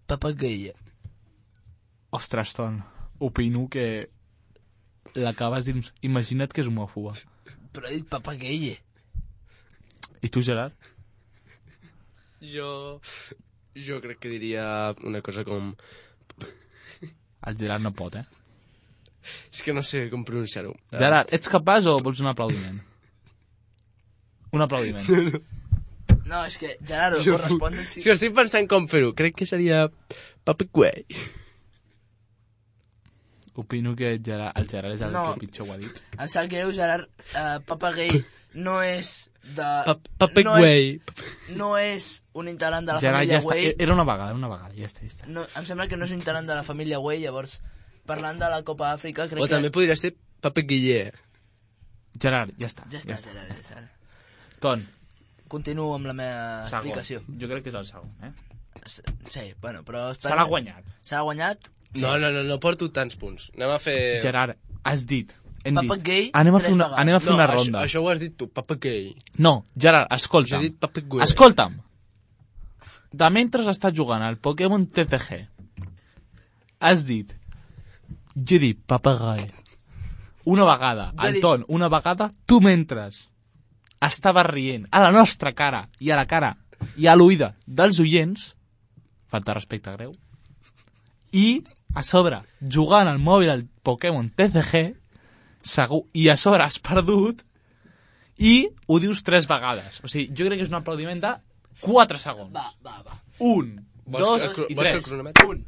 Papagay. Ostres, Ton, opino que l'acabes dins... Imagina't que és homòfoba. Però he dit Papagay. I tu, Gerard? Jo crec que diria una cosa com... El Gerard no pot, És que no sé com pronunciar-ho. Gerard, ets capaç o vols un aplaudiment? Un aplaudiment. No, és que, Gerard, correspon... És que estic pensant com fer-ho. Crec que seria Papeguei. Opino que el Gerard és el que pitjor ho ha dit. Em sap greu, Gerard. Papeguei no és de... Papeguei. No és un integrant de la Gerard, família ja està. Güell. Era una vegada, ja està. No, em sembla que no és un integrant de la família Güell, llavors, parlant de la Copa Àfrica, crec O també podria ser Papeguiller. Gerard, ja està. Ja està, Gerard, ja està. Ton. Continuo amb la meva explicació. Jo crec que és el segon, Sí, bueno, però... Se l'ha guanyat. Se l'ha guanyat? Sí. No porto tants punts. Anem a fer... Gerard, has dit... Papeguei, anem a fer una ronda. Això ho has dit tu, Papeguei. No, Gerard, escolta'm. Jo he dit Papeguei. Escolta'm. De mentre estàs jugant al Pokémon TCG, has dit... Jo he dit Papeguei. Una vegada, al Ton, una vegada, tu mentres estaves rient a la nostra cara i a la cara i a l'oïda dels oients, falta respecte greu, i a sobre jugant al mòbil al Pokémon TCG, segur, i a sobre has perdut i ho dius 3 vegades. O sigui, jo crec que és un aplaudiment de 4 segons. Va. 1, 2 i 3. 1,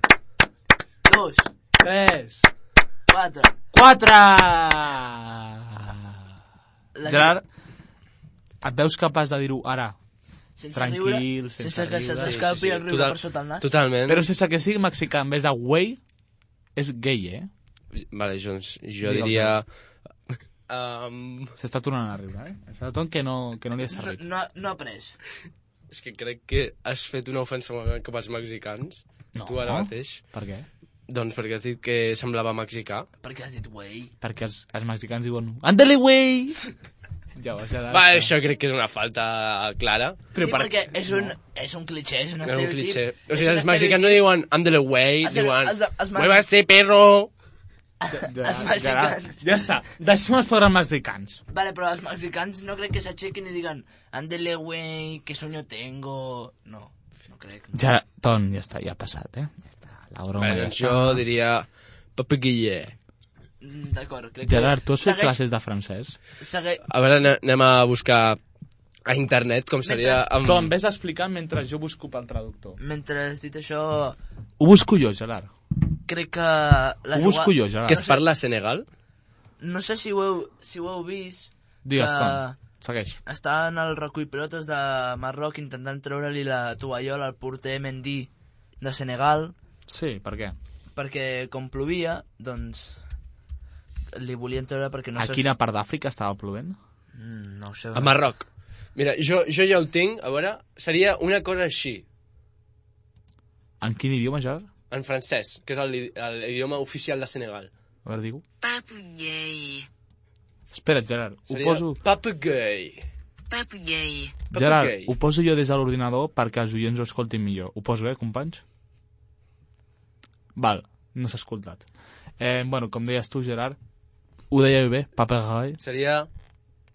2, 3, 4. 4! Gerard, et veus capaç de dir-ho ara? Sense tranquil, riure, sense que se'ls escapi el riure per sota el nas? Totalment. Però sense que sigui mexicà, en vez de güey, és gay, Vale, jo diria... S'està tornant a riure, És el ton que no li ha servit. No ha après. És que crec que has fet una ofensa cap als mexicans. No. Tu ara mateix. Per què? Doncs perquè has dit que semblava mexicà. Perquè has dit güey. Perquè els mexicans diuen «Ándale, güey!» Va, això crec que és una falta clara. Sí, perquè és un cliché, és un estereotip. O sigui, els mexicans no diuen «Ándale, güey», diuen «Mueva ese perro!» Els mexicans... Ja està, deixem els pobres mexicans. Vale, però els mexicans no crec que s'aixequin i digan «Ándale, güey, que sueño tengo...» No crec. No. Ja, Ton, ja està, ja ha passat, Ja està, la broma ja doncs jo diria Papeguiller. D'acord, crec que... Gerard, tu has fet classes de francès? A veure, anem a buscar a internet com seria... Tom, vés explicant mentre jo busco pel traductor. Mentre has dit això... Ho busco jo, Gerard. Crec que... Ho busco jo, Gerard. Que es parla a Senegal? No sé si ho heu vist... Digues, Tom, segueix. Està en el recull pilotes de Marroc intentant treure-li la tovallola al porter Mendy de Senegal. Sí, per què? Perquè com plovia, doncs... li volien treure perquè no... A quina part d'Àfrica estava plovent? No ho sé. A Marroc. Mira, jo ja ho tinc, a veure, seria una cosa així. En quin idioma, Gerard? En francès, que és l'idioma oficial de Senegal. A veure, digue-ho. Papeguei. Espera't, Gerard, ho seria poso... Papeguei. Papeguei. Gerard, ho poso jo des de l'ordinador perquè els oients ho escoltin millor. Ho poso, companys? Val, no s'ha escoltat. Bueno, com deies tu, Gerard, ho deia bé, papeguei. Seria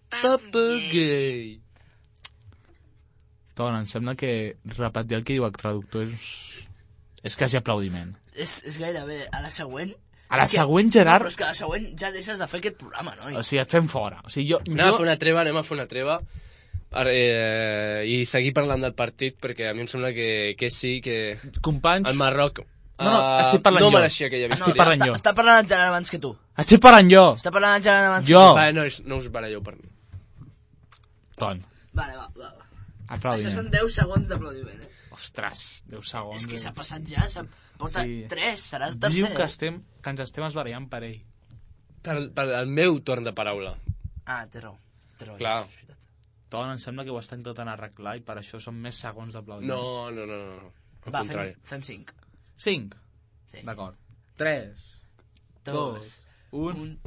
Papeguei. Ton, em sembla que repetir el que diu el traductor és quasi aplaudiment. És gairebé a la següent. A la següent, Gerard... No, però és que a la següent ja deixes de fer aquest programa, noi. O sigui, et fem fora. O sigui, anem a fer una treva i seguir parlant del partit, perquè a mi em sembla que sí, que... Companys... El Marroc... No, estic parlant jo. No mereixia aquella victòria. Estic parlant jo. Està parlant el Gerard abans que tu. Estic parlant jo. Està parlant el Gerard abans jo. que tu. Vale, no us baralleu per mi. Ton. Vale, va. Aplaudiment. Això són 10 segons d'aplaudiment, Ostres, 10 segons. És que s'ha passat ja, porta 3, serà el tercer. Diu que ens estem esbarallant per ell. Per el meu torn de paraula. Ah, té raó. Clar. Ton, em sembla que ho està intentant arreglar i per això són més segons d'aplaudiment. No. Va, fem 5. 5? Sí. D'acord. 3, 2, 1...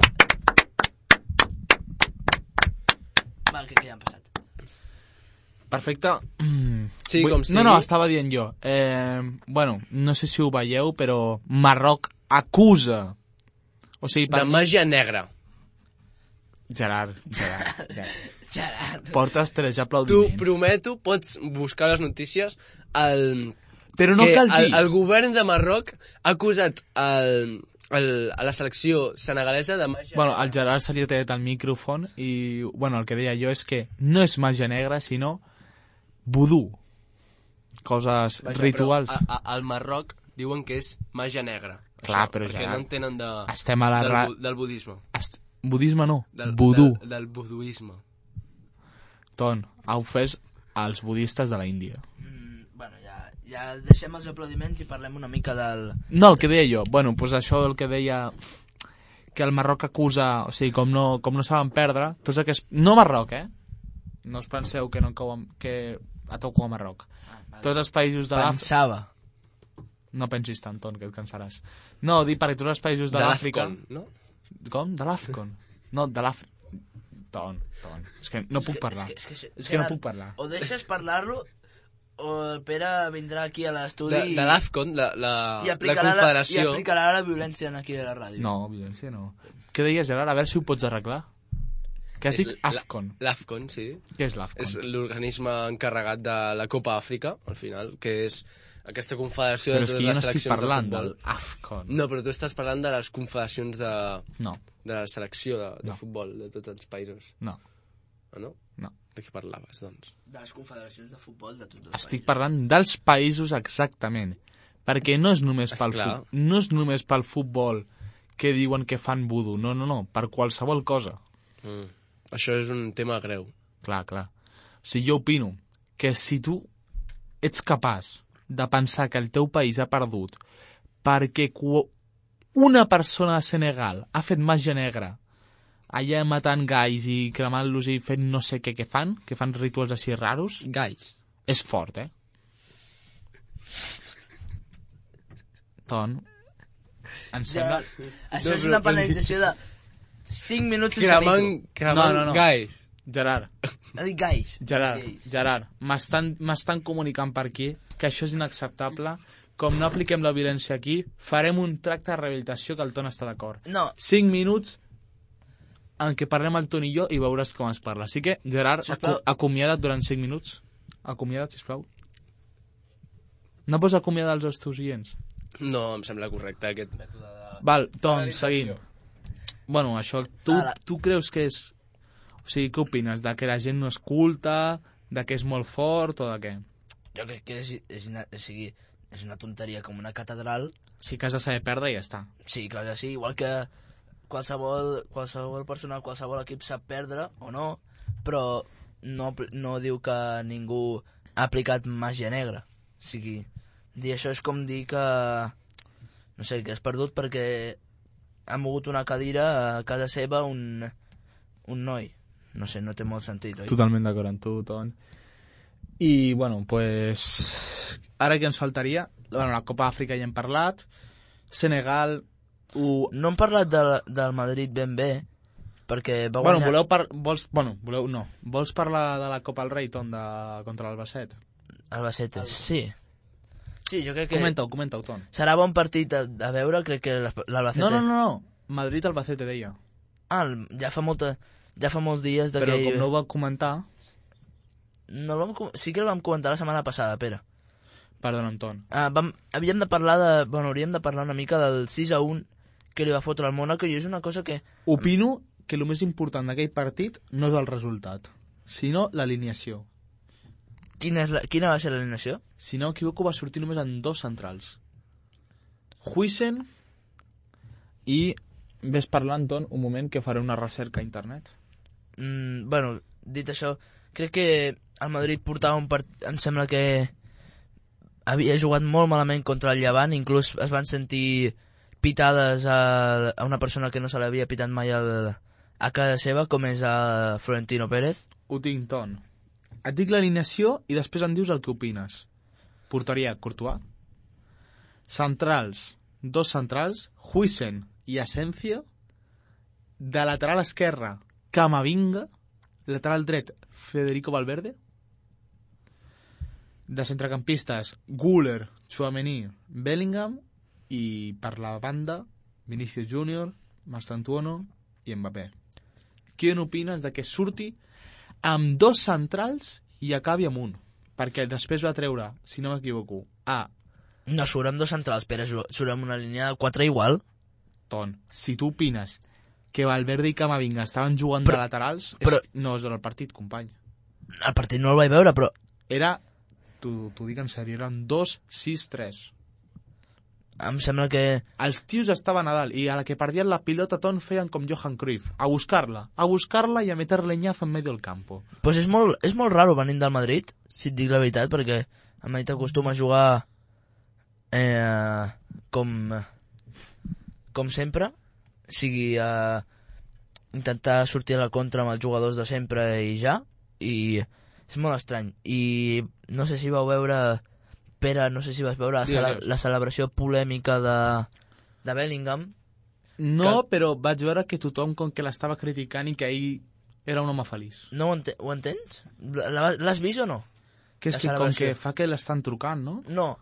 Va, que ja han passat. Perfecte. Sí, com sigui. No, estava dient jo. Bueno, no sé si ho veieu, però Marroc acusa... O sigui, de màgia negra. Gerard. Gerard. Portes 3 aplaudiments. T'ho prometo, pots buscar les notícies al Però no cal dir... El govern de Marroc ha acusat a la selecció senegalesa de màgia Bueno, al Gerard se li ha tallat el micròfon i, bueno, el que deia jo és que no és màgia negra, sinó vudú. Coses rituals. Al Marroc diuen que és màgia negra. Clar, això, però perquè no entenen estem a la del budisme. Budisme no, vudú. Del buduisme. Ton, ha ofès als budistes de la Índia. Bueno, ja deixem els aplaudiments i parlem una mica del... No, el que deia jo. Bueno, doncs això del que deia que el Marroc acusa... O sigui, com no saben perdre, tots aquests... No Marroc, No us penseu que no cau que toco a Marroc. Vale. Tots els països de l'Àfrica... Pensava. No pensis tant, Ton, que et cansaràs. No, dic perquè tots els països de l'Àfrica... no? Com? De l'Àfrica? No, de l'Àfrica. Ton. És que no puc parlar. És que no puc parlar. O deixes parlar-lo o el Pere vindrà aquí a l'estudi de l'AFCON, la confederació... I aplicarà la violència aquí a la ràdio. No, violència no. Què deies, Gerard? A veure si ho pots arreglar. Què has dit? AFCON. L'AFCON, sí. Què és l'AFCON? És l'organisme encarregat de la Copa Àfrica, al final, que és aquesta confederació de totes les seleccions de futbol. Però és que jo no estic parlant de l'AFCON. No, però tu estàs parlant de les confederacions de... No. De la selecció de futbol de tots els països. No. Ah, no? No. De què parlaves, doncs? De les confederacions de futbol de tots els països. Estic parlant dels països exactament. Perquè no és només pel futbol que diuen que fan vudú. No. Per qualsevol cosa. Això és un tema greu. Clar. O sigui, jo opino que si tu ets capaç de pensar que el teu país ha perdut perquè una persona de Senegal ha fet màgia negra allà matant gais i cremant-los i fent no sé què fan, que fan rituals així raros... Gais. És fort, Ton, em sembla... Això és una penalització de 5 minuts sense micro. Cremant gais. Gerard. Ha dit gais. Gerard, m'estan comunicant per aquí que això és inacceptable. Com no apliquem la violència aquí, farem un tracte de rehabilitació que el Ton està d'acord. No. 5 minuts en què parlem el Ton i jo i veuràs com es parla. Així que, Gerard, acomiada't durant 5 minuts. Acomiada't, sisplau. No pots acomiadar els teus oients? No, em sembla correcte aquest mètode de... Val, Ton, seguim. Bueno, això, tu creus que és... O sigui, què opines? De que la gent no escolta, de que és molt fort o de què? Jo crec que és una tonteria com una catedral. Sí que has de saber perdre i ja està. Sí, clar que sí, igual que qualsevol persona, qualsevol equip sap perdre o no, però no diu que ningú ha aplicat màgia negra. O sigui, dir això és com dir que, no sé, que has perdut perquè ha mogut una cadira a casa seva un noi. No sé, no té molt sentit, oi? Totalment d'acord amb tu, Ton. I, bueno, pues... Ara què ens faltaria? Bueno, la Copa Àfrica ja hem parlat. Senegal... No hem parlat del Madrid ben bé, perquè va guanyar... Vols parlar de la Copa del Rei, Ton, contra l'Albacete? Albacete, sí. Sí, jo crec que... Comenta-ho, Ton. Serà bon partit a veure, crec que l'Albacete... No. Madrid-Albacete, deia. Ah, ja fa molts dies Però com no ho va comentar... Sí que el vam comentar la setmana passada, Pere. Perdona, Ton. Hauríem de parlar una mica del 6-1 que li va fotre al Mónaco i és una cosa que... Opino que el més important d'aquell partit no és el resultat, sinó l'alineació. Quina va ser l'alineació? Si no m'equivoco, va sortir només en 2 centrals. Huijsen i... Ves parlant, Ton, un moment que faré una recerca a internet. Bueno, dit això, crec que el Madrid portava un partit... Em sembla que havia jugat molt malament contra el Llevant, inclús es van sentir pitades a una persona que no se l'havia pitat mai a casa seva, com és a Florentino Pérez. Ho tinc, Ton. Et dic l'alineació i després em dius el que opines. Porteria, Courtois. Centrals, 2 centrals, Huijsen i Asensio. De lateral esquerre, Camavinga. Lateral dret, Federico Valverde. De centrecampistes, Güler, Tchouaméni, Bellingham. I per la banda, Vinicius Júnior, Mastantuono i Mbappé. Què n'opines de que surti amb 2 centrals i acabi amb un? Perquè després va treure, si no m'equivoco, a No, surt amb 2 centrals, Pere, surt amb una línia de 4 igual. Ton, si tu opines que Valverde i Camavinga estaven jugant de laterals, no és del partit, company. El partit no el vaig veure, però... Era, t'ho dic en sèrio, eren 2-6-3. Em sembla que... Els tios estaven a dalt i a la que perdien la pilota Ton feien com Johan Cruyff, a buscar-la i a meter leñazo en medio del campo. Pues és molt raro venint del Madrid, si et dic la veritat, perquè el Madrid acostuma a jugar com sempre, sigui intentar sortir a la contra amb els jugadors de sempre i ja, i és molt estrany. I no sé si vau veure... Pere, no sé si vas veure la celebració polèmica de Bellingham. No, però vaig veure que tothom com que l'estava criticant i que ell era un home feliç. No ho entens? L'has vist o no? Que és que com que fa que l'estan trucant, no? No,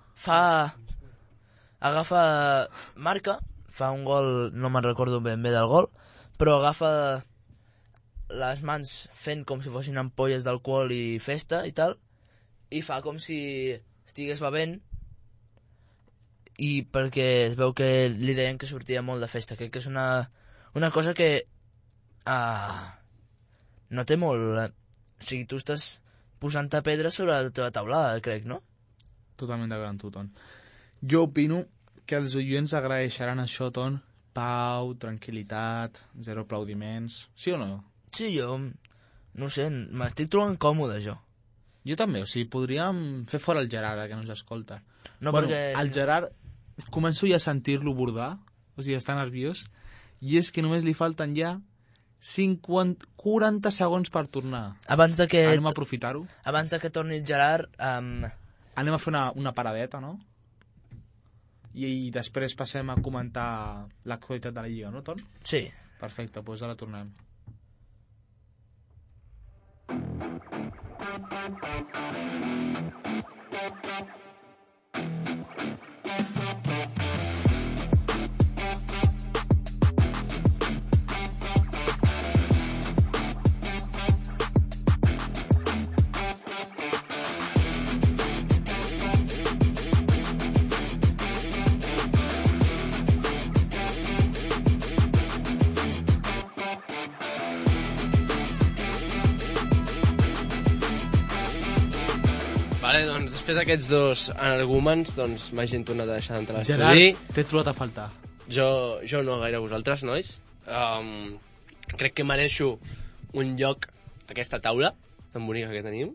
marca, fa un gol, no me'n recordo ben bé del gol, però agafa les mans fent com si fossin ampolles d'alcohol i festa i tal, i fa com si... estigués bevent i perquè es veu que li deien que sortia molt de festa. Crec que és una cosa que no té molt... O sigui, tu estàs posant-te pedres sobre la teva taulada, crec, no? Totalment d'acord amb tu, Ton. Jo opino que els oients agraeixeran això, Ton. Pau, tranquil·litat, zero aplaudiments... Sí o no? Sí, jo... No sé, m'estic trobant còmode, jo. Jo també, o sigui, podríem fer fora el Gerard, que no ens escolta. No, perquè... El Gerard, començo ja a sentir-lo bordar, o sigui, està nerviós, i és que només li falten ja 40 segons per tornar. Anem a aprofitar-ho. Abans de que torni el Gerard... Anem a fer una paradeta, no? I després passem a comentar l'actualitat de la Lliga, no, Ton? Sí. Perfecte, doncs ara tornem. Vale, doncs després d'aquests dos energúmens, doncs m'ha gent tornat a deixar d'entrar a l'estudi. Gerard, t'he trobat a faltar. Jo no gaire vosaltres, nois. Crec que mereixo un lloc a aquesta taula tan bonica que tenim.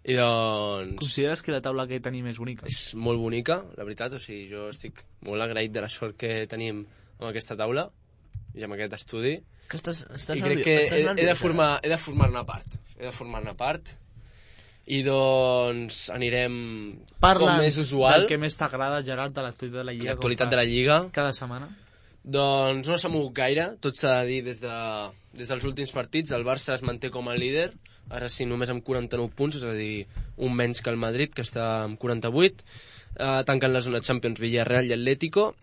I doncs... Consideres que la taula que tenim és bonica? És molt bonica, la veritat. O sigui, jo estic molt agraït de la sort que tenim amb aquesta taula i amb aquest estudi. Que estàs I crec que he de formar-ne part. He de formar-ne part. I doncs anirem com és usual. Del que més t'agrada, Gerard, de l'actualitat de la Lliga. L'actualitat de la Lliga. Cada setmana. Doncs no s'ha mogut gaire, tot s'ha de dir des dels últims partits. El Barça es manté com a líder, ara sí només amb 49 punts, és a dir, un menys que el Madrid, que està amb 48. Tanquen la zona Champions Villarreal i Atlético,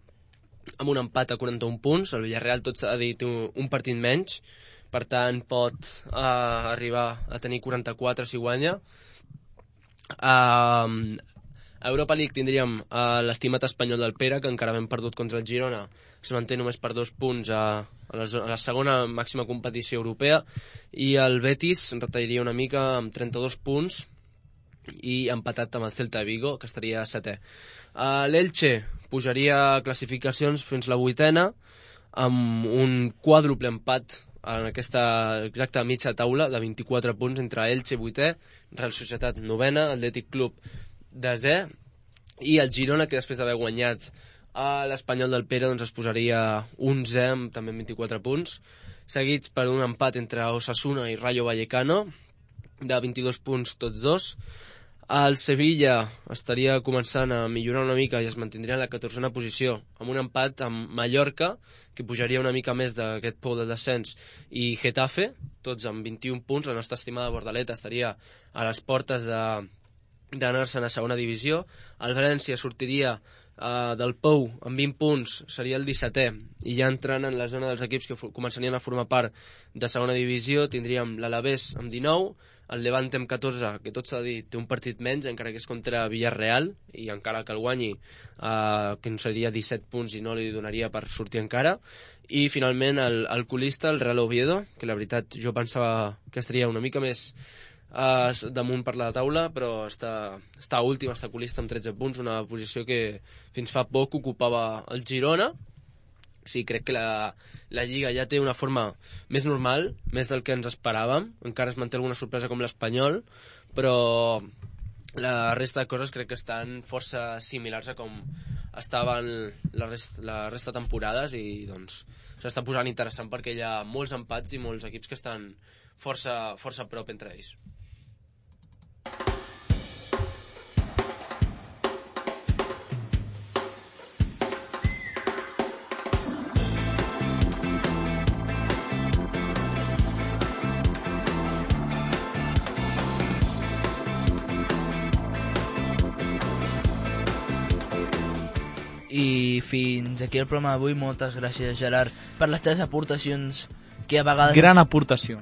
amb un empat a 41 punts. El Villarreal, tot s'ha de dir, té un partit menys, per tant pot arribar a tenir 44 si guanya. A Europa League tindríem l'estimat espanyol del Pere, que encara hem perdut contra el Girona, es manté només per 2 punts a la segona màxima competició europea, i el Betis retallaria una mica amb 32 punts i empatat amb el Celta de Vigo, que estaria a 7è. L'Elche pujaria classificacions fins la 8a amb un quàdruple empat en aquesta exacta mitja taula de 24 punts entre Elche 8è, Real Societat 9a, Atlètic Club 10è, i el Girona, que després d'haver guanyat a l'Espanyol del Pere, doncs es posaria 11è amb també 24 punts, seguits per un empat entre Osasuna i Rayo Vallecano de 22 punts tots dos. El Sevilla estaria començant a millorar una mica i es mantindria en la 14a posició, amb un empat amb Mallorca, que pujaria una mica més d'aquest pou de descens, i Getafe, tots amb 21 punts. La nostra estimada Bordaleta estaria a les portes d'anar-se'n a segona divisió. El València sortiria del Pou amb 20 punts seria el 17è, i ja entrant en la zona dels equips que començarien a formar part de segona divisió tindríem l'Alavés amb 19, el Levante amb 14, que tot s'ha de dir, té un partit menys, encara que és contra Villarreal, i encara que el guanyi, que seria 17 punts i no li donaria per sortir encara. I finalment el colista, el Real Oviedo, que la veritat jo pensava que estaria una mica més damunt per la taula, però està últim, està colista amb 13 punts, una posició que fins fa poc ocupava el Girona. O sigui, crec que la Lliga ja té una forma més normal, més del que ens esperàvem. Encara es manté alguna sorpresa com l'Espanyol, però la resta de coses crec que estan força similars a com estaven la resta de temporades, i doncs s'està posant interessant perquè hi ha molts empats i molts equips que estan força a prop entre ells. I fins aquí el programa d'avui. Moltes gràcies, Gerard, per les teves aportacions, que a vegades... Gran aportació.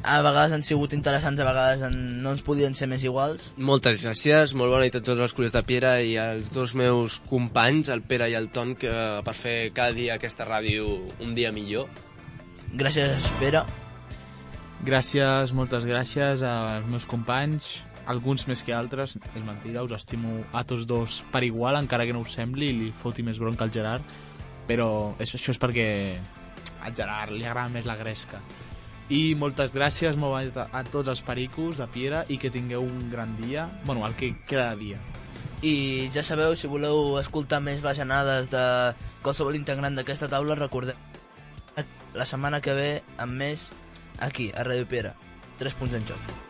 A vegades han sigut interessants, a vegades no ens podien ser més iguals. Moltes gràcies, molt bona nit a tots els Colers de Piera i als dos meus companys, el Pere i el Ton, per fer cada dia aquesta ràdio un dia millor. Gràcies, Pere. Gràcies, moltes gràcies als meus companys, alguns més que altres, és mentira, us estimo a tots dos per igual, encara que no us sembli i li foti més bronca al Gerard, però això és perquè al Gerard li agrada més la gresca. I moltes gràcies a tots els pericos de Piera, i que tingueu un gran dia, bueno, el que queda de dia. I ja sabeu, si voleu escoltar més bajanades de qualsevol integrant d'aquesta taula, recordeu la setmana que ve amb més aquí, a Ràdio Piera. 3 punts en joc.